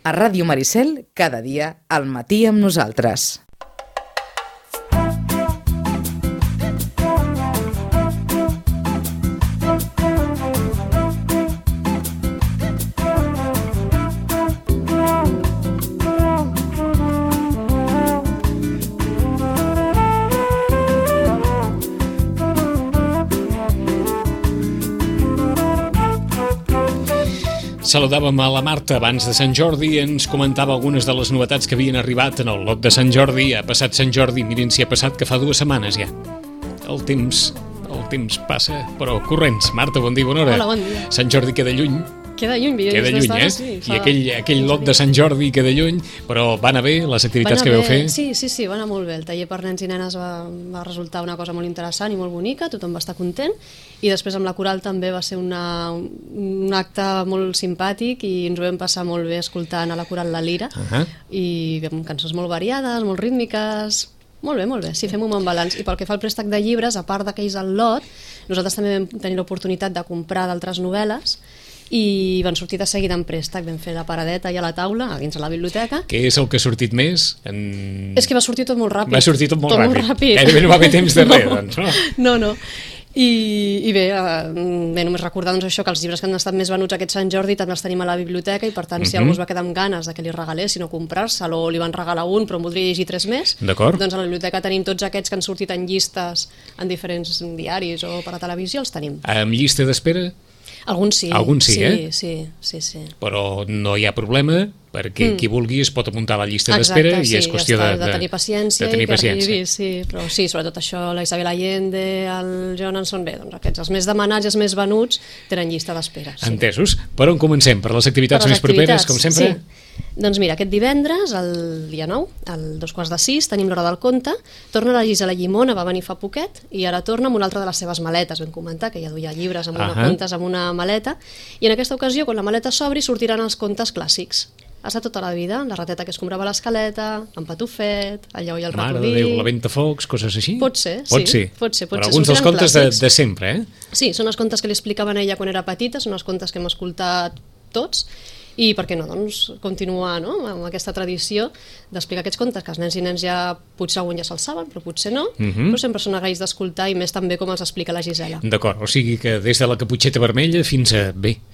A Ràdio Maricel, cada dia al matí amb nosaltres. Saludàvem a la Marta abans de Sant Jordi i ens comentava algunes de les novetats que havien arribat en el lot de Sant Jordi. Ha passat Sant Jordi, mirin si ha passat, que fa 2 setmanes ja. El temps passa, però corrents. Marta, bon dia, bona hora. Hola, bon dia. Sant Jordi queda lluny. Queda lluny, Sí, i aquell lot de Sant Jordi queda lluny, però van anar bé les activitats que veu fer? Sí, va anar molt bé. El taller per nens i nenes va resultar una cosa molt interessant i molt bonica, tothom va estar content, i després amb la coral també va ser un acte molt simpàtic i ens ho vam passar molt bé escoltant a la coral La Lira, i amb cançons molt variades, molt rítmiques. Molt bé, sí, fem un bon balanç. I pel que fa al préstec de llibres, a part d'aquells al lot, nosaltres també vam tenir l'oportunitat de comprar d'altres novel·les i van sortir de seguida en préstec. Vam fer la paradeta i a la taula, a dins de la biblioteca. Què és el que ha sortit més? És que va sortir tot molt ràpid. Va sortir tot molt ràpid. Gairebé no va haver temps de res, doncs, no? No. I bé, només recordar doncs, això, que els llibres que han estat més venuts aquest Sant Jordi també els tenim a la biblioteca, i per tant si algú es va quedar amb ganes de que li regalessin o comprar-se'l, o li van regalar un però en voldria llegir 3 més, doncs a la biblioteca tenim tots aquests que han sortit en llistes en diferents diaris o per a televisió, els tenim. Amb llista d'espera? Alguns sí. Alguns sí, Sí. Però no hi ha problema, perquè qui vulgui es pot apuntar a la llista d'espera. Exacte, i és qüestió de tenir paciència i que arribi, sí. Però sí, sobretot això, la Isabel Allende, el Jonan són bé, doncs aquests, els més demanats i els més venuts tenen llista d'espera. Sí. Entesos. Per on comencem? Per les activitats més properes, com sempre? Sí. Doncs mira, aquest divendres, el dia 9, al 5:45, tenim l'Hora del Conte. Torna la Gisela Llimona, va venir fa poquet, i ara torna amb una altra de les seves maletes. Vam comentar que ja duia llibres amb contes amb una maleta, i en aquesta ocasió, quan la maleta s'obri, sortiran els contes clàssics. Has de tota la vida, la rateta que es comprava a l'escaleta, en Patufet, el lleó i el ratolí... Mare de Déu, la Ventafocs, coses així? Pot ser. Però alguns dels contes de sempre, eh? Sí, són els contes que li explicaven a ella quan era petita, són els contes que hem escoltat tots, i per què no, doncs, continuar amb aquesta tradició d'explicar aquests contes, que els nens i nens ja potser algun ja se'ls saben, però potser no, però sempre són agraïts d'escoltar, i més també com els explica la Gisela. D'acord, o sigui que des de la Caputxeta Vermella fins a,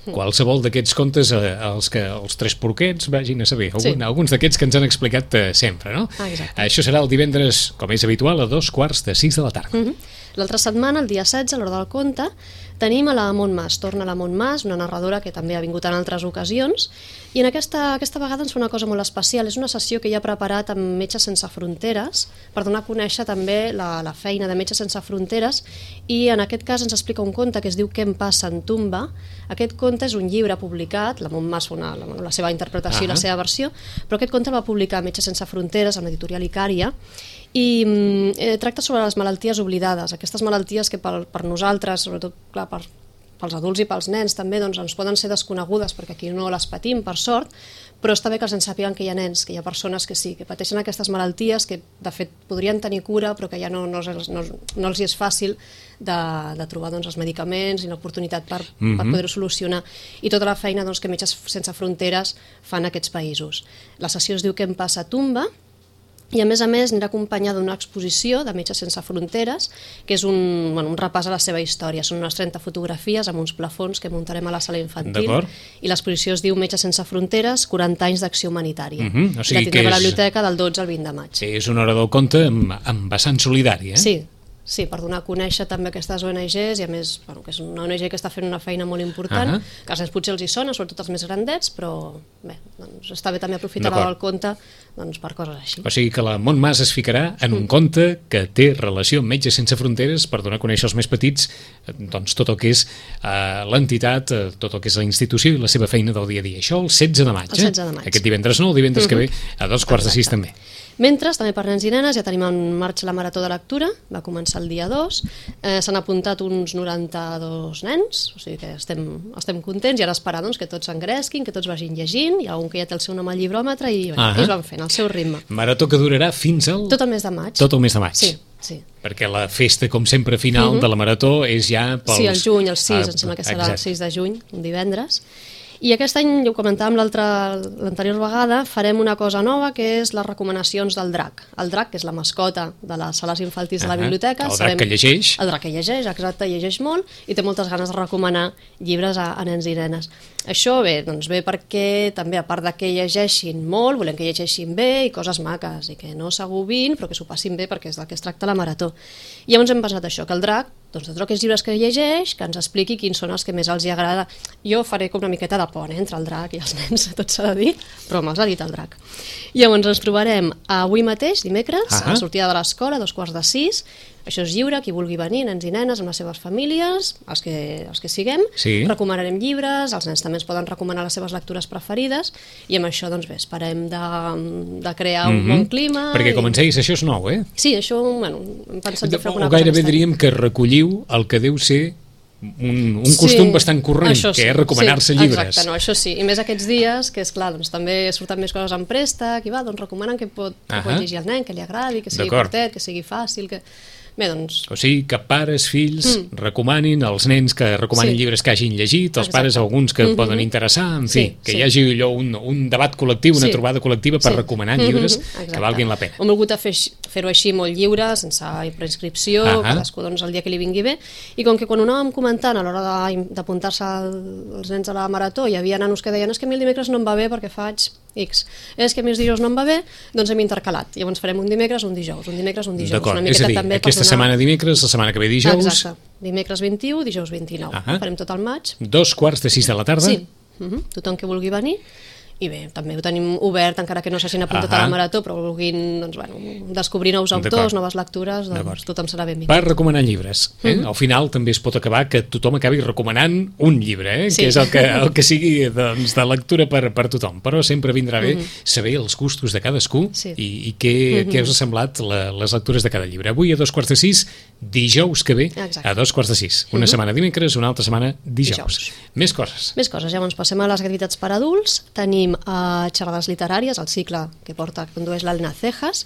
qualsevol d'aquests contes, els 3 porquets, vagin a saber, alguns d'aquests que ens han explicat sempre, no? Exacte. Això serà el divendres, com és habitual, a 5:45 de la tarda. L'altra setmana, el dia 16, a l'Hora del Conte, tenim a la Montmas. Torna la Montmas, una narradora que també ha vingut en altres ocasions, i en aquesta vegada ens fa una cosa molt especial. És una sessió que ja ha preparat amb Metges Sense Fronteres per donar a conèixer també la feina de Metges Sense Fronteres, i en aquest cas ens explica un conte que es diu Què em passa en Tumba. Aquest conte és un llibre publicat, la Montmas fa la seva interpretació i la seva versió, però aquest conte el va publicar Metges Sense Fronteres amb l'editorial Icària, i tracta sobre les malalties oblidades, aquestes malalties que per nosaltres, sobretot clar, pels adults i pels nens també, doncs ens poden ser desconegudes perquè aquí no les patim, per sort, però està bé que ens sàpiguen que hi ha nens, que hi ha persones que sí, que pateixen aquestes malalties, que de fet podrien tenir cura, però que ja no els és fàcil de trobar doncs, els medicaments i l'oportunitat per poder-ho solucionar, i tota la feina doncs, que Metges Sense Fronteres fan a aquests països. La sessió es diu Què em passa a Tumba, i a més anirà acompanyada d'una exposició de Metges Sense Fronteres, que és un repàs a la seva història. Són unes 30 fotografies amb uns plafons que muntarem a la sala infantil, i l'exposició es diu Metges Sense Fronteres, 40 anys d'acció humanitària. O sigui, la tindrem a la biblioteca del 12 al 20 de maig. És una Hora del Conte amb vessant solidari, eh? Sí, per donar a conèixer també aquestes ONGs, i a més, que és una ONG que està fent una feina molt important, que als nens potser els hi sona, sobretot els més grandets, però bé, doncs està bé també aprofitar el conte per coses així. O sigui que la Montmas es ficarà en un conte que té relació amb Metges Sense Fronteres per donar a conèixer als més petits doncs, tot el que és l'entitat, tot el que és la institució i la seva feina del dia a dia. Això el 16 de maig. El 16 de maig. Aquest divendres no, el divendres que ve a 5:45 també. Mentre, també per nens i nenes, ja tenim en marxa la Marató de Lectura, va començar el dia 2, s'han apuntat uns 92 nens, o sigui que estem contents, i ara esperar doncs, que tots s'engresquin, que tots vagin llegint, hi ha un que ja té el seu nom al llibròmetre, i ells van fent el seu ritme. Marató que durarà fins al... Tot el mes de maig. Tot el mes de maig. Sí. Perquè la festa, com sempre, final de la Marató és ja pels... Sí, el juny, el 6, em sembla que serà el 6 de juny, un divendres. I aquest any, ja ho comentàvem l'anterior vegada, farem una cosa nova, que és les recomanacions del drac. El drac, que és la mascota de les sales infantils de la biblioteca. El drac que llegeix. El drac que llegeix, exacte, llegeix molt i té moltes ganes de recomanar llibres a nens i nenes. Això ve perquè també, a part de que llegeixin molt, volem que llegeixin bé i coses maques, i que no s'agobin, però que s'ho passin bé, perquè és del que es tracta la marató. I llavors hem pensat això, que el drac, de tots aquells llibres que llegeix, que ens expliqui quins són els que més els hi agrada. Jo faré com una miqueta de pont entre el drac i els nens, tot s'ha de dir, però me'ls ha dit el drac. Llavors ens trobarem avui mateix, dimecres, a la sortida de l'escola, a 5:45. Això és lliure, qui vulgui venir, nens i nenes amb les seves famílies, els que siguem, recomanarem llibres, els nens també ens poden recomanar les seves lectures preferides, i amb això, doncs bé, esperem de crear un bon clima. Perquè, com ens deies, això és nou, eh? Sí, això, bueno, hem pensat de fer alguna cosa. O gairebé diríem que recolliu el que deu ser un costum bastant corrent, que és recomanar-se llibres. Exacte, no, això sí, i més aquests dies, que és clar, doncs també surten més coses en préstec, i va, doncs recomanen que pot llegir el nen, que li agradi, que sigui curtet, que sigui fàcil, que... Bé, doncs... O sigui, que pares, fills, recomanin als nens que recomanin llibres que hagin llegit, els pares alguns que poden interessar, en fi, que hi hagi allò un debat col·lectiu, una trobada col·lectiva per recomanar llibres que valguin la pena. Hem volgut fer-ho així molt lliure, sense preinscripció, cadascú doncs el dia que li vingui bé, i com que quan ho anàvem comentant a l'hora d'apuntar-se els nens a la marató, hi havia nanos que deien, és que a mi el dimecres no em va bé perquè faig X, és que a mi els dijous no em va bé, doncs hem intercalat, llavors farem un dimecres, un dijous, un dimecres, un dijous. D'acord, és a dir, aquesta setmana dimecres, la setmana que ve dijous... Exacte, dimecres 21, dijous 29, farem tot el maig. 5:45 de la tarda? Sí, tothom que vulgui venir. I bé, també ho tenim obert, encara que no s'hagin apuntat a la marató, però vulguin doncs, descobrir nous autors, noves lectures, doncs tothom serà benvingut. Per recomanar llibres. Al final també es pot acabar que tothom acabi recomanant un llibre, que és el que sigui de lectura per tothom. Però sempre vindrà bé saber els gustos de cadascú i què us ha semblat les lectures de cada llibre. Avui a 5:45, dijous que ve a 5:45. Una setmana dimecres, una altra setmana dijous. Més coses. Més coses. Llavors passem a les activitats per adults. Tenim a xerrades literàries, el cicle que condueix l'Elna Cejas,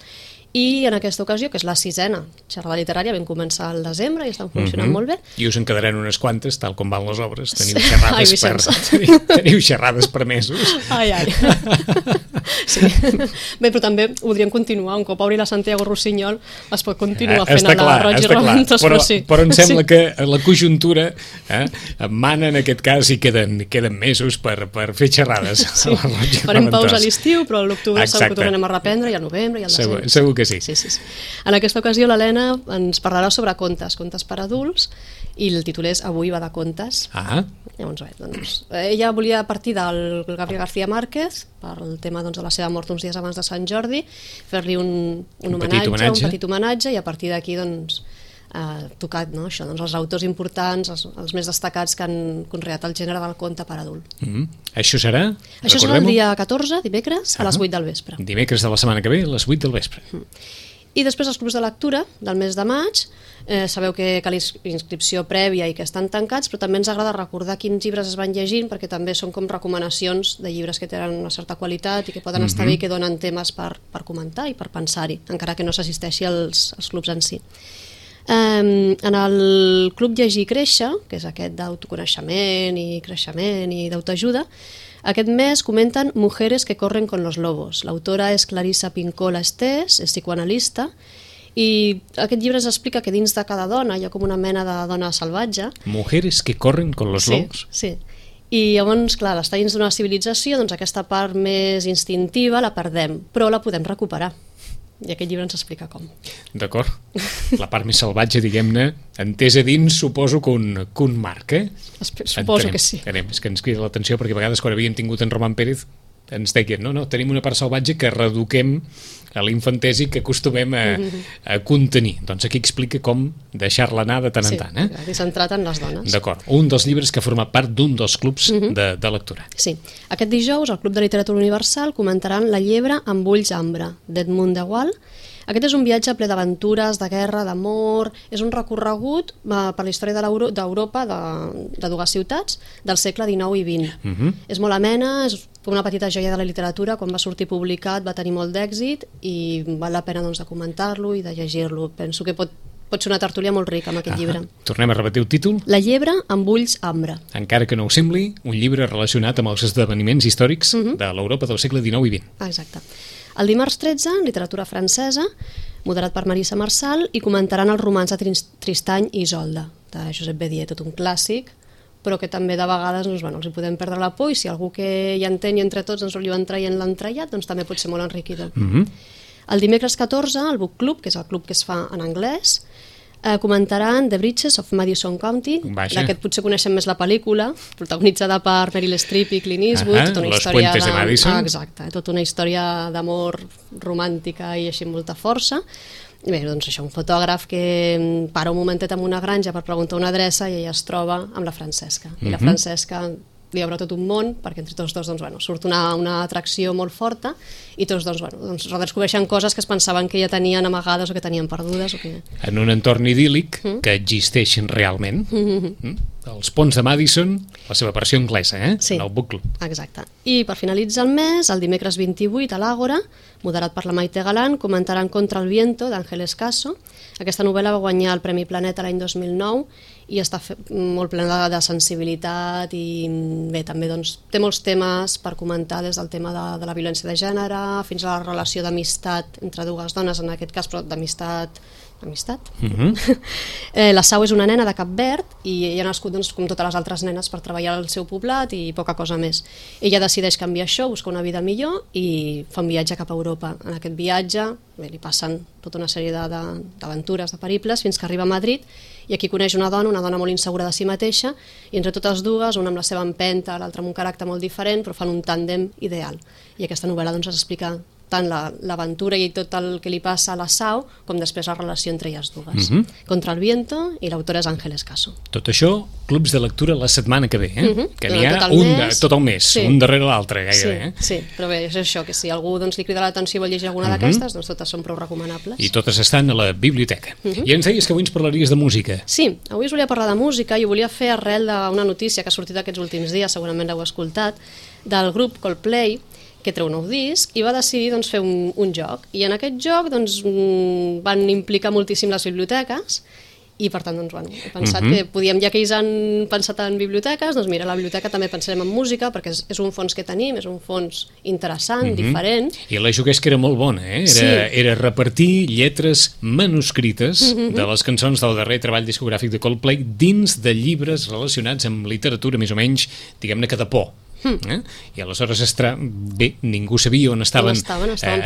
i en aquesta ocasió, que és la 6a xerrada literària, vam començar al desembre i estan funcionant molt bé. I us en quedaran unes quantes, tal com van les obres. Teniu xerrades per mesos. Ai. Sí. Bé, però també podríem continuar, un cop obri la Santiago Rossinyol es pot continuar fent a la Roig i Raventós, però em sembla que la conjuntura mana en aquest cas i queden mesos per fer xerrades. Farem pausa a l'estiu, però a l'octubre segur que tornarem a reprendre, i al novembre i al desembre. Segur que sí. En aquesta ocasió l'Helena ens parlarà sobre contes per adults, i el títol és Avui va de contes. Llavors, ella volia partir del Gabriel García Márquez per el tema de la seva mort uns dies abans de Sant Jordi, fer-li un petit homenatge, i a partir d'aquí tocat això, els autors importants, els més destacats que han conreat el gènere del conte per adult. Això serà? Això serà el dia 14, dimecres, a les 8 del vespre. Dimecres de la setmana que ve, a les 8 del vespre. I després els clubs de lectura del mes de maig, sabeu que cal inscripció prèvia i que estan tancats, però també ens agrada recordar quins llibres es van llegint, perquè també són com recomanacions de llibres que tenen una certa qualitat i que poden estar bé i que donen temes per comentar i per pensar-hi, encara que no s'assisteixi als clubs en si. En el Club Llegir i Créixer, que és aquest d'autoconeixement i creixement i d'autoajuda, aquest mes comenten Mujeres que corren con los lobos. L'autora és Clarissa Pincola Estés, és psicoanalista, i aquest llibre ens explica que dins de cada dona hi ha com una mena de dona salvatge. Mujeres que corren con los lobos? Sí. I llavors, clar, l'estar dins d'una civilització, doncs aquesta part més instintiva la perdem, però la podem recuperar. I aquest llibre ens explica com. D'acord. La part més salvatge, diguem-ne, entesa dins, suposo que un marc, Suposo que sí. És que ens crida l'atenció, perquè a vegades quan havíem tingut en Roman Pérez ens deien, no, tenim una part salvatge que reeduquem a l'infantesi que acostumem a contenir. Doncs aquí explica com deixar-la anar de tant en tant. I centrat en les dones. D'acord. Un dels llibres que ha format part d'un dels clubs de lectura. Sí. Aquest dijous, al Club de Literatura Universal comentaran La llebre amb ulls ambre, d'Edmund de Waal. Aquest és un viatge ple d'aventures, de guerra, d'amor, és un recorregut per la història d'Europa, de dues ciutats, del segle XIX i XX. És molt amena, és com una petita joia de la literatura, quan va sortir publicat va tenir molt d'èxit i val la pena de comentar-lo i de llegir-lo. Penso que pot pot ser una tertúlia molt rica amb aquest llibre. Tornem a repetir el títol. La llebre amb ulls ambre. Encara que no ho sembli, un llibre relacionat amb els esdeveniments històrics de l'Europa del segle XIX i XX. Exacte. El dimarts 13, literatura francesa, moderat per Marisa Marçal, i comentaran els romans de Tristany i Isolda, de Josep Bédier, tot un clàssic, però que també de vegades els hi podem perdre la por, i si algú que hi entén i entre tots ens ho van traient l'entrellat, doncs també pot ser molt enriquidor. El dimecres 14, el Book Club, que és el club que es fa en anglès, comentaran The Bridges of Madison County. D'aquest potser coneixem més la pel·lícula, protagonitzada per Meryl Streep i Clint Eastwood, tota una Los història Puentes de Madison. Exacte, tota una història d'amor romàntica i així amb molta força. I bé, doncs això, un fotògraf que para un momentet en una granja per preguntar una adreça i ella es troba amb la Francesca. I la Francesca li obre tot un món, perquè entre tots dos surt una atracció molt forta, i tots dos redescobreixen coses que es pensaven que ja tenien amagades o que tenien perdudes. En un entorn idíl·lic que existeixen realment. Els ponts de Madison, la seva versió anglesa, Sí, en el Book Club. Exacte. I per finalitzar el mes, el dimecres 28, a l'Àgora, moderat per la Maite Galán, comentaran Contra el viento, d'Ángeles Caso. Aquesta novel·la va guanyar el Premi Planeta l'any 2009 i està molt plena de sensibilitat i bé, també té molts temes per comentar, des del tema de la violència de gènere fins a la relació d'amistat entre dues dones, en aquest cas, però d'amistat. La Sau és una nena de Cap Verd i ella ha nascut com totes les altres nenes per treballar al seu poblat i poca cosa més. Ella decideix canviar això, buscar una vida millor i fa un viatge cap a Europa. En aquest viatge li passen tota una sèrie d'aventures, de periples, fins que arriba a Madrid i aquí coneix una dona molt insegura de si mateixa, i entre totes dues, una amb la seva empenta, l'altra amb un caràcter molt diferent, però fan un tàndem ideal. I aquesta novel·la ens explica tant l'aventura i tot el que li passa a la Sau, com després la relació entre elles dues. Contra el viento, i l'autora és Ángeles Caso. Tot això, clubs de lectura la setmana que ve, que n'hi ha tot el mes, un darrere l'altre gairebé. Sí, però bé, és això, que si algú li crida l'atenció i vol llegir alguna d'aquestes, doncs totes són prou recomanables. I totes estan a la biblioteca. I ens deies que avui ens parlaries de música. Sí, avui us volia parlar de música i ho volia fer arrel d'una notícia que ha sortit aquests últims dies, segurament l'heu escoltat, del grup Coldplay, que treu un nou disc, i va decidir fer un joc. I en aquest joc van implicar moltíssim les biblioteques, i per tant he pensat que podíem, ja que ells han pensat en biblioteques, doncs mira, a la biblioteca també pensarem en música, perquè és un fons que tenim, és un fons interessant, diferent. I la juguesca era molt bona, era repartir lletres manuscrites de les cançons del darrer treball discogràfic de Coldplay dins de llibres relacionats amb literatura, més o menys, diguem-ne que de por. I aleshores ningú sabia on estaven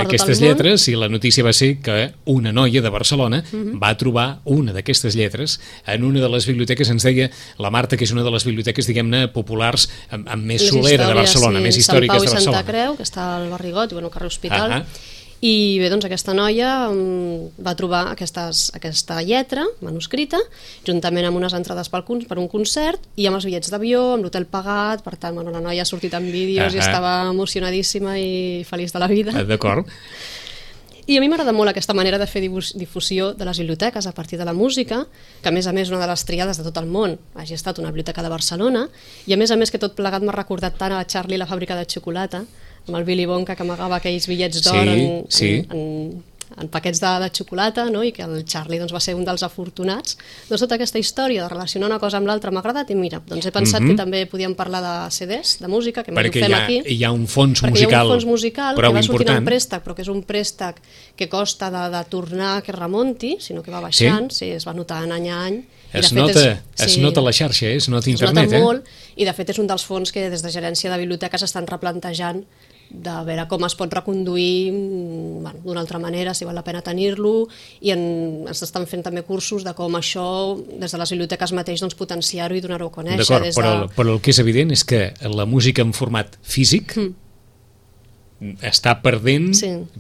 aquestes lletres, i la notícia va ser que una noia de Barcelona va trobar una d'aquestes lletres en una de les biblioteques. Ens deia la Marta que és una de les biblioteques, diguem-ne, populars amb més solera de Barcelona, més històriques de Barcelona. Sant Pau i Santa Creu, que està al Barrigot i al carrer Hospital. I bé, doncs aquesta noia va trobar aquesta lletra manuscrita, juntament amb unes entrades per un concert i amb els bitllets d'avió, amb l'hotel pagat. Per tant, la noia ha sortit en vídeos i estava emocionadíssima i feliç de la vida. D'acord. I a mi m'agrada molt aquesta manera de fer difusió de les biblioteques a partir de la música, que a més una de les triades de tot el món hagi estat una biblioteca de Barcelona, i a més que tot plegat m'ha recordat tant a Charlie la fàbrica de xocolata, amb el Willy Wonka que amagava aquells bitllets d'or en paquets de xocolata, i que el Charlie va ser un dels afortunats. Doncs tota aquesta història de relacionar una cosa amb l'altra m'ha agradat, i mira, he pensat que també podíem parlar de CDs, de música, que més ho fem aquí. Perquè hi ha un fons musical que va sortint en préstec, però que és un préstec que costa de tornar, que remunti, sinó que va baixant, es va notar any a any. Es nota la xarxa, es nota internet. Es nota molt, i de fet és un dels fons que des de Gerència de Biblioteques estan replantejant de veure com es pot reconduir d'una altra manera, si val la pena tenir-lo, i ens estan fent també cursos de com això, des de les biblioteques mateix, potenciar-ho i donar-ho a conèixer. D'acord, però el que és evident és que la música en format físic està perdent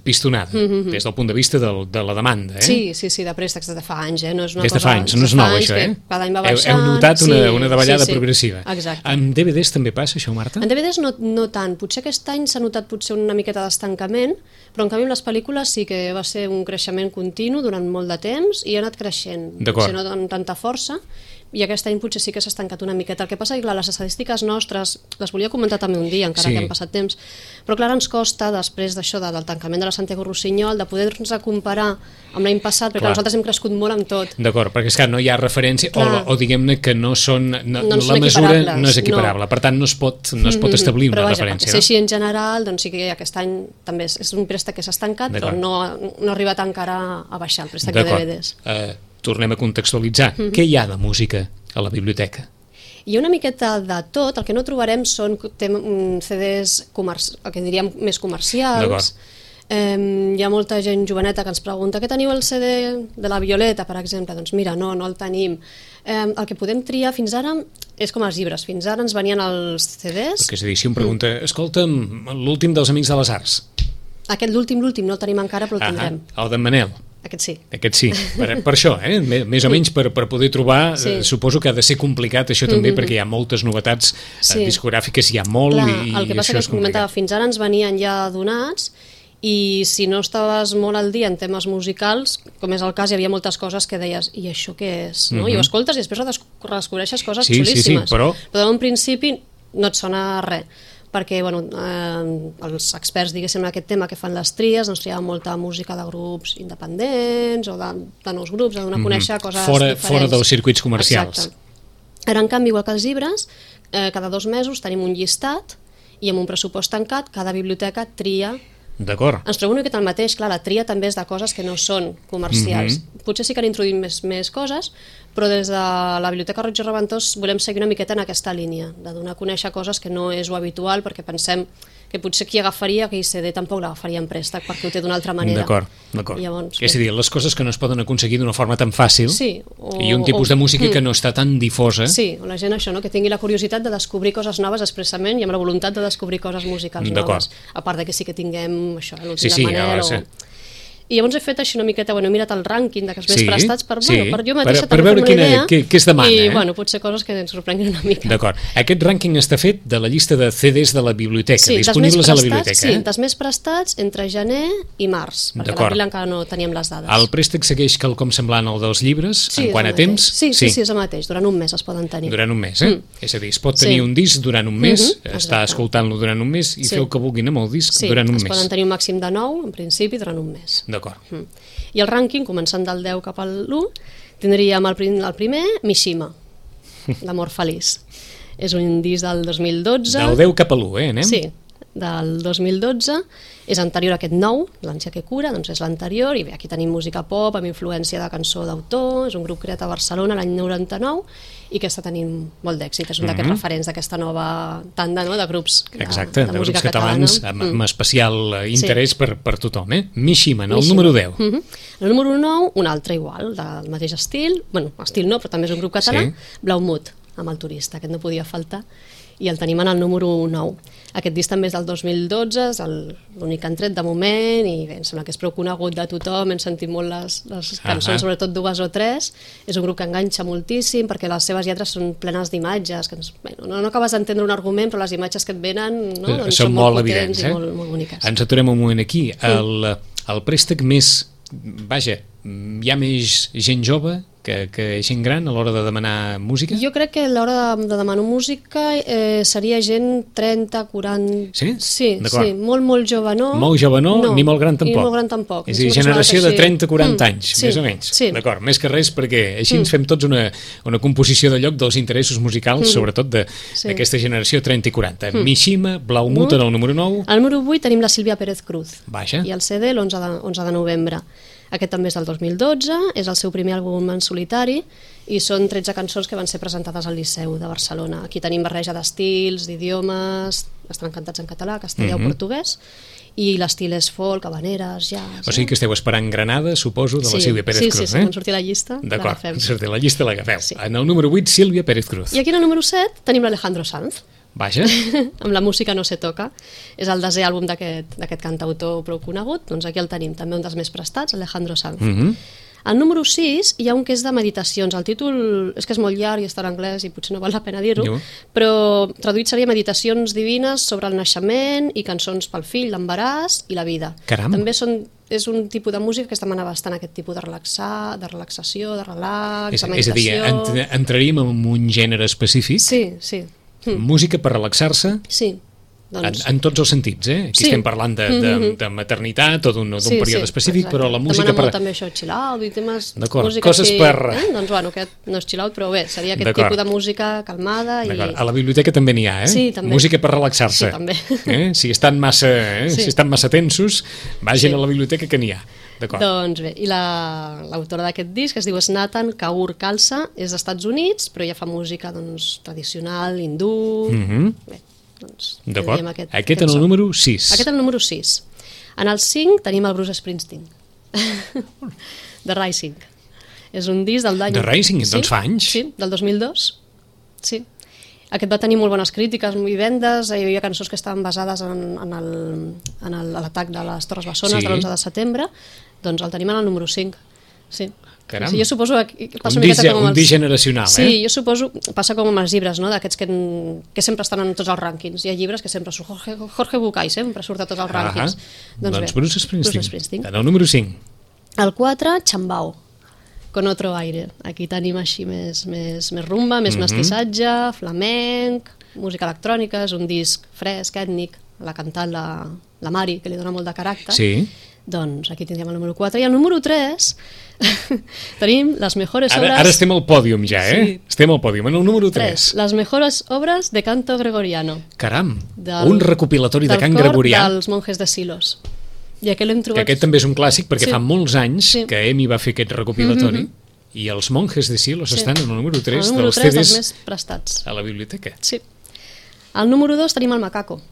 pistonada, des del punt de vista de la demanda. Sí, de préstecs des de fa anys. Des de fa anys, no és nou això, cada any va baixant. Heu notat una davallada progressiva. Exacte. En DVDs també passa això, Marta? En DVDs no tant. Potser aquest any s'ha notat una miqueta d'estancament, però en canvi amb les pel·lícules sí que va ser un creixement continu durant molt de temps i ha anat creixent, no amb tanta força. i aquest any potser sí que s'ha estancat una miqueta. El que passa és que les estadístiques nostres, les volia comentar també un dia, encara que han passat temps, però clar, ens costa, després d'això del tancament de la Santiago Rossinyol, de poder-nos comparar amb l'any passat, perquè nosaltres hem crescut molt amb tot. D'acord, perquè és que no hi ha referència, o diguem-ne que no són... la mesura no és equiparable, per tant no es pot establir una referència. Però vaja, així en general, doncs sí que aquest any també és un préstec que s'ha estancat, però no ha arribat encara a baixar el préstec de DVDs. Tornem a contextualitzar. Què hi ha de música a la biblioteca? Hi ha una miqueta de tot. El que no trobarem són CDs, el que diríem més comercials. Hi ha molta gent joveneta que ens pregunta què teniu el CD de la Violeta, per exemple? Doncs mira, no el tenim. El que podem triar fins ara és com els llibres. Fins ara ens venien els CDs. És a dir, si em pregunta, escolta'm, l'últim dels Amics de les Arts. Aquest l'últim no el tenim encara, però el tindrem. El d'en Manel. Aquest sí. Aquest sí, per això, més o menys per poder trobar, suposo que ha de ser complicat això també, perquè hi ha moltes novetats discogràfiques, hi ha molt, i el que passa és que comentava, fins ara ens venien ja donats, i si no estaves molt al dia en temes musicals, com és el cas, hi havia moltes coses que deies, i això què és? I ho escoltes i després redescobreixes coses xulíssimes, però d'un principi no et sona res, perquè els experts, diguéssim, en aquest tema que fan les tries, doncs triaven molta música de grups independents o de nous grups, de donar a conèixer coses diferents. Fora dels circuits comercials. Exacte. Ara, en canvi, igual que els llibres, cada 2 mesos tenim un llistat i amb un pressupost tancat, cada biblioteca tria. D'acord. Ens trobem una miqueta el mateix, clar, la tria també és de coses que no són comercials. Potser sí que han introduït més coses, però des de la Biblioteca Roig i Reventós volem seguir una miqueta en aquesta línia, de donar a conèixer coses que no és lo habitual, perquè pensem que potser qui agafaria aquell CD tampoc l'agafaria en préstec, perquè ho té d'una altra manera. D'acord. És a dir, les coses que no es poden aconseguir d'una forma tan fàcil, i un tipus de música que no està tan difosa. Sí, o la gent això, que tingui la curiositat de descobrir coses noves expressament i amb la voluntat de descobrir coses musicals noves. A part de que sí que tinguem això, l'últim de Manel I llavors he fet així una miqueta, he mirat el rànquing dels més prestats per jo mateixa per veure què es demana. I potser coses que ens sorprenguin una mica. D'acord. Aquest rànquing està fet de la llista de CDs de la biblioteca, disponibles a la biblioteca. Sí, dels més prestats entre gener i març, perquè a l'abril encara no teníem les dades. El préstec segueix quelcom semblant al dels llibres, en quant a temps? Sí, és el mateix, durant un mes es poden tenir. Durant un mes, És a dir, es pot tenir un disc durant un mes, estar escoltant-lo durant un mes i fer el que vulguin amb el disc durant un mes. Sí, es poden tenir un màxim de 9, en principi, durant un mes. D'acord. I el rànquing, començant del 10 cap al 1, tindríem el primer, Mishima, l'amor feliç. És un disc del 2012. Del 10 cap a l'1, anem? Sí, del 2012. És anterior a aquest nou, l'Ànsia que cura, doncs és l'anterior, i bé, aquí tenim música pop amb influència de cançó d'autor, és un grup creat a Barcelona l'any 99 i que està tenint molt d'èxit, és un d'aquests referents d'aquesta nova tanda de grups de música grups catalans amb especial interès per tothom. Mishima, el número 10. El número 9, un altre igual, del mateix estil, estil no, però també és un grup català, Blaumut, amb el turista, aquest no podia faltar, i el tenim en el número 9. Aquest disc també és del 2012, és l'únic que han tret de moment, i bé, em sembla que és prou conegut de tothom, hem sentit molt les cançons, sobretot 2 o 3, és un grup que enganxa moltíssim, perquè les seves lletres són plenes d'imatges, que no acabes d'entendre un argument, però les imatges que et venen són molt potents i molt boniques. Ens aturem un moment aquí. El préstec més... Vaja, hi ha més gent jove que gent gran a l'hora de demanar música? Jo crec que a l'hora de demanar música seria gent 30, 40... Sí? Sí, molt jove no. Molt jove no, ni molt gran tampoc. Ni molt gran tampoc. És a dir, generació de 30-40 anys, més o menys. D'acord, més que res perquè així ens fem tots una composició de lloc dels interessos musicals, sobretot d'aquesta generació 30 i 40. Mishima, Blaumut en el número 9. Al número 8 tenim la Sílvia Pérez Cruz. Vaja. I el CD l'11 de novembre. Aquest també és del 2012, és el seu primer àlbum en solitari i són 13 cançons que van ser presentades al Liceu de Barcelona. Aquí tenim barreja d'estils, d'idiomes, estan cantats en català, castellà o portuguès, i l'estil és folk, habaneres, jazz... O sigui que esteu esperant Granada, suposo, de la Sílvia Pérez Cruz, Sí, quan surti la llista l'agafem. D'acord, surti la llista l'agafeu. En el número 8, Sílvia Pérez Cruz. I aquí en el número 7 tenim l'Alejandro Sanz. Vaja. Amb la música no se toca. És el desè àlbum d'aquest cantautor prou conegut, doncs aquí el tenim, també un dels més prestats, Alejandro Sanz. Al número 6 hi ha un que és de meditacions. El títol és que és molt llarg i està en anglès i potser no val la pena dir-ho, però traduït seria Meditacions divines sobre el naixement i cançons pel fill, l'embaràs i la vida. Caram! També són és un tipus de música que es demana bastant aquest tipus de relaxació, de relax, de És a dir, meditació... entraríem en un gènere específic? Sí. Música per relaxar-se? Sí. Doncs... En tots els sentits, Aquí estem parlant de maternitat o d'un període específic, però la música... Demana molt també això, chill out i temes... D'acord, coses per... Doncs bueno, aquest no és chill out, però bé, seria aquest tipus de música calmada i... A la biblioteca també n'hi ha, Sí, també. Música per relaxar-se. Sí, també. Si estan massa tensos, vagin a la biblioteca que n'hi ha. Doncs bé, i l'autora d'aquest disc es diu Nathan Kaur Khalsa, és dels Estats Units, però ja fa música tradicional, hindú... Bé, doncs... D'acord. Aquest en el número 6. Aquest en el número 6. En el 5 tenim el Bruce Springsteen. The Rising. És un disc del d'any... The Rising, doncs fa anys. Sí, del 2002. Sí. Aquest va tenir molt bones crítiques i vendes, hi havia cançons que estaven basades en l'atac de les Torres Bessones de l'11 de setembre, doncs el tenim en el número 5. Sí. Caram. Sí, jo suposo que passa un disc generacional, Sí, jo suposo, passa com amb els llibres, no? D'aquests que sempre estan en tots els rànquings. Hi ha llibres que sempre surt Jorge Bucay, sempre surt a tots els rànquings. Doncs Bruce Springsteen. En el número 5. El 4, Chambao, Con otro aire. Aquí tenim així més rumba, més mestissatge, flamenc, música electrònica, és un disc fresc, ètnic, l'ha cantat la Mari, que li dona molt de caràcter. Sí. Doncs aquí tindríem el número 4. I el número 3 tenim les mejores obres... Ara estem al pòdium ja, Sí. Estem al pòdium, en el número 3. Les mejores obres de canto gregoriano. Caram, un recopilatori de cant gregorià. Dels monjes de Silos. I aquest l'hem trobat... Que aquest també és un clàssic, perquè fa molts anys que Emi va fer aquest recopilatori, i els monjes de Silos estan en el número 3 dels CDs dels més prestats. a la biblioteca. Sí. Al número 2 tenim el Macaco.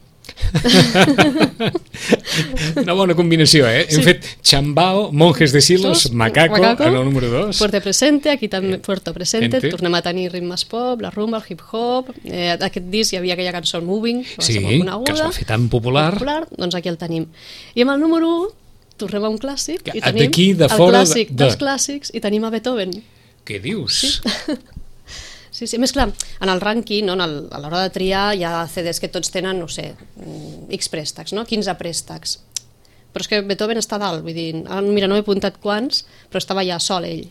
Una bona combinació, Hem fet Chambao, Monjes de Silos, Macaco en el número 2. Puerto Presente, aquí també Puerto Presente, tornem a tenir ritmes pop, la rumba, el hip-hop, aquest disc hi havia aquella cançó Moving, que va ser molt coneguda, que es va fer tan popular. Doncs aquí el tenim. I amb el número 1 tornem a un clàssic i tenim de el clàssic dels clàssics i tenim a Beethoven. Què dius? Sí, més clar, en el rànquing, a l'hora de triar, hi ha CDs que tots tenen, no sé, X préstecs, 15 préstecs. Però és que Beethoven està dalt, vull dir, mira, no he apuntat quants, però estava ja sol ell.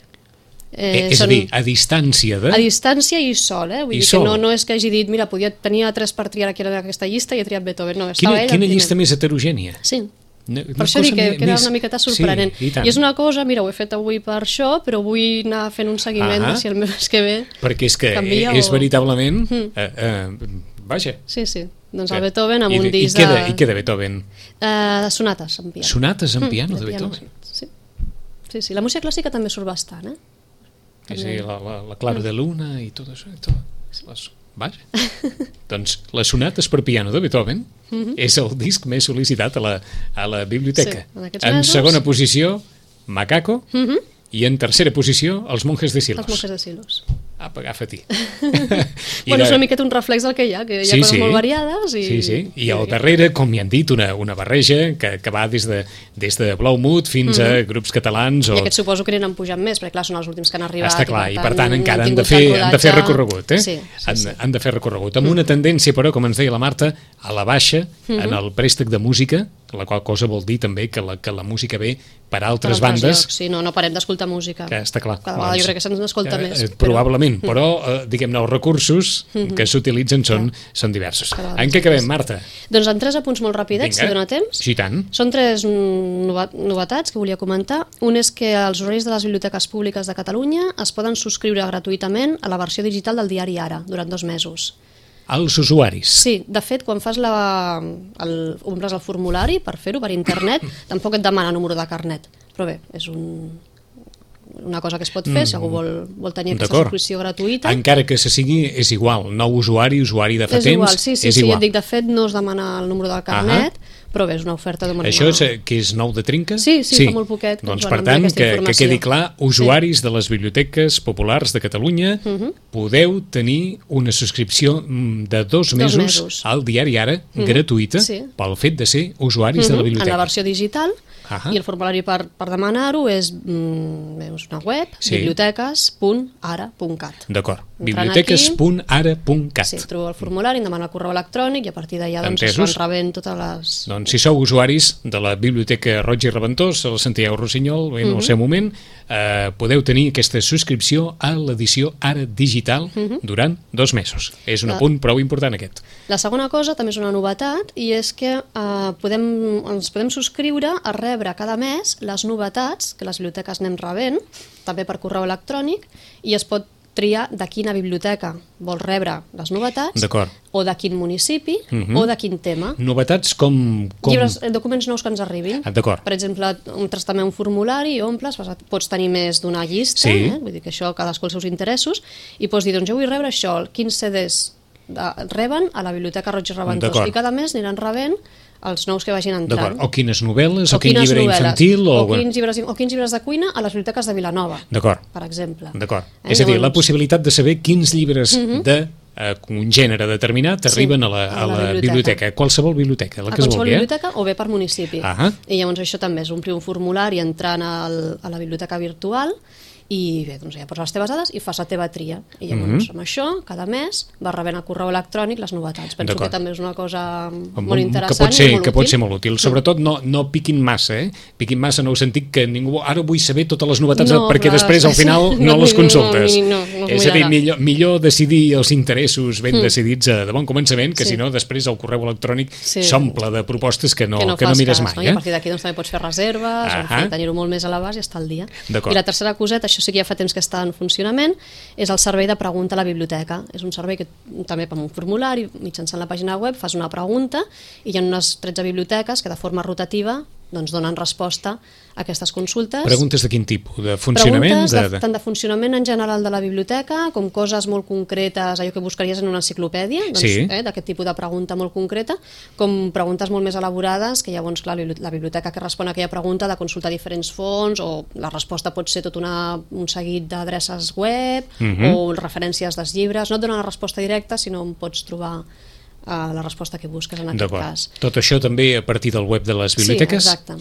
És a dir, a distància de... A distància i sol, vull dir que no és que hagi dit, mira, tenia 3 per triar aquí en aquesta llista i he triat Beethoven, no, estava ell... Quina llista més heterogènia? Sí. Per això dic que era una miqueta sorprenent. I és una cosa, mira, ho he fet avui per això, però vull anar fent un seguiment de si el mes que ve perquè és que és veritablement... Vaja. Sí, doncs el Beethoven amb un disc de... I què de Beethoven? Sonates en piano. Sonates en piano de Beethoven? Sí, la música clàssica també surt bastant, Sí, la Clara de Luna i tot això. Vaja. Doncs les sonates per piano de Beethoven és el disc més sol·licitat a la biblioteca. En segona posició, Macaco, i en tercera posició, els monjes de Silos. Els monjes de Silos. Apa, agafa-t'hi. Bueno, és una miqueta un reflex del que hi ha coses molt variades. I al darrere, com ja han dit, una barreja que va des de Blaumut fins a grups catalans. I aquests suposo que n'han pujat més, perquè clar, són els últims que han arribat. Està clar, i per tant encara han de fer recorregut. Han de fer recorregut. Amb una tendència, però, com ens deia la Marta, a la baixa en el préstec de música, la qual cosa vol dir també que la música ve per altres bandes. Sí, no parem d'escoltar música. Que està clar. Cada vegada jo crec que se'ns n'escolta més. Probablement, però diguem-ne, els recursos que s'utilitzen són diversos. En què acabem, Marta? Doncs en 3 apunts molt ràpidets, si dona temps. Sí, tant. Són 3 novetats que volia comentar. Un és que els usuaris de les biblioteques públiques de Catalunya es poden subscriure gratuïtament a la versió digital del diari Ara, durant 2 mesos. Els usuaris? Sí, de fet, quan fas omples el formulari per fer-ho per internet, tampoc et demana número de carnet. Però bé, és una cosa que es pot fer, si algú vol tenir aquesta subscripció gratuïta. Encara que se sigui, és igual, nou usuari de fa temps, és igual, sí, ja et dic, de fet no es demana el número del carnet, però bé, és una oferta de Això és que és nou de trinca? Sí, fa molt poquet. Doncs per tant, que quedi clar, usuaris de les biblioteques populars de Catalunya, podeu tenir una subscripció de 2 mesos al diari Ara, gratuïta, pel fet de ser usuaris de la biblioteca. En la versió digital, I el formulari per demanar-ho és una web, biblioteques.ara.cat. D'acord, biblioteques.ara.cat. Sí, trobo el formulari, em demana el correu electrònic i a partir d'allà es van rebent totes les... Doncs si sou usuaris de la Biblioteca Roig i Reventós, al Santiago Rossinyol, en el seu moment, podeu tenir aquesta subscripció a l'edició Ara Digital durant 2 mesos. És un apunt prou important aquest. La segona cosa també és una novetat i és que ens podem subscriure a rebre cada mes les novetats que les biblioteques anem rebent, també per correu electrònic, i es pot triar de quina biblioteca vol rebre les novetats o de quin municipi o de quin tema. Novetats com... Llibres, documents nous que ens arribin. D'acord. Per exemple, entres també un formulari i omples, pots tenir més d'una llista, vull dir que això cadascú els seus interessos, i pots dir, doncs jo vull rebre això, quins CDs reben a la Biblioteca Roig i Reventós, i cada mes aniran rebent els nous que vagin entrant. O quines novel·les, o quin llibre infantil... O quins llibres de cuina a les biblioteques de Vilanova, per exemple. És a dir, la possibilitat de saber quins llibres un gènere determinat arriben a la biblioteca, qualsevol biblioteca, la que es vulgui. Qualsevol biblioteca o bé per municipi. I llavors això també és omplir un formulari entrant a la biblioteca virtual i bé, doncs ja poses les teves dades i fas la teva tria. I llavors amb això, cada mes, vas rebent a correu electrònic les novetats. Penso que també és una cosa molt interessant i molt útil. Que pot ser molt útil. Sobretot no piquin massa, Piquin massa en el sentit que ningú... Ara vull saber totes les novetats perquè després al final no les consultes. És a dir, millor decidir els interessos ben decidits de bon començament, que si no, després el correu electrònic s'omple de propostes que no mires mai. I a partir d'aquí també pots fer reserves, tenir-ho molt més a l'abast i estar al dia. I la tercera coseta, això sí que ja fa temps que està en funcionament, és el servei de pregunta a la biblioteca. És un servei que també amb un formulari, mitjançant la pàgina web, fas una pregunta i hi ha unes 13 biblioteques que de forma rotativa donen resposta a aquestes consultes. Preguntes de quin tipus? De funcionament? Preguntes tant de funcionament en general de la biblioteca com coses molt concretes, allò que buscaries en una enciclopèdia, d'aquest tipus de pregunta molt concreta, com preguntes molt més elaborades, que llavors clar, la biblioteca que respon a aquella pregunta ha de consultar diferents fonts, o la resposta pot ser tot un seguit d'adreces web o referències dels llibres. No et donen la resposta directa, sinó on pots trobar la resposta que busques en aquest cas. Tot això també a partir del web de les biblioteques? Sí, exacte.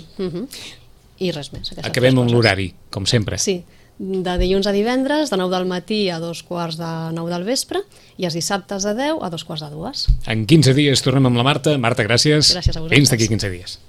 I res més. Acabem amb l'horari, com sempre. Sí, de dilluns a divendres, de 9 del matí a 2:45 del vespre, i els dissabtes de 10 a 2:45. En 15 dies tornem amb la Marta. Marta, gràcies. Gràcies a vosaltres. Fins d'aquí 15 dies.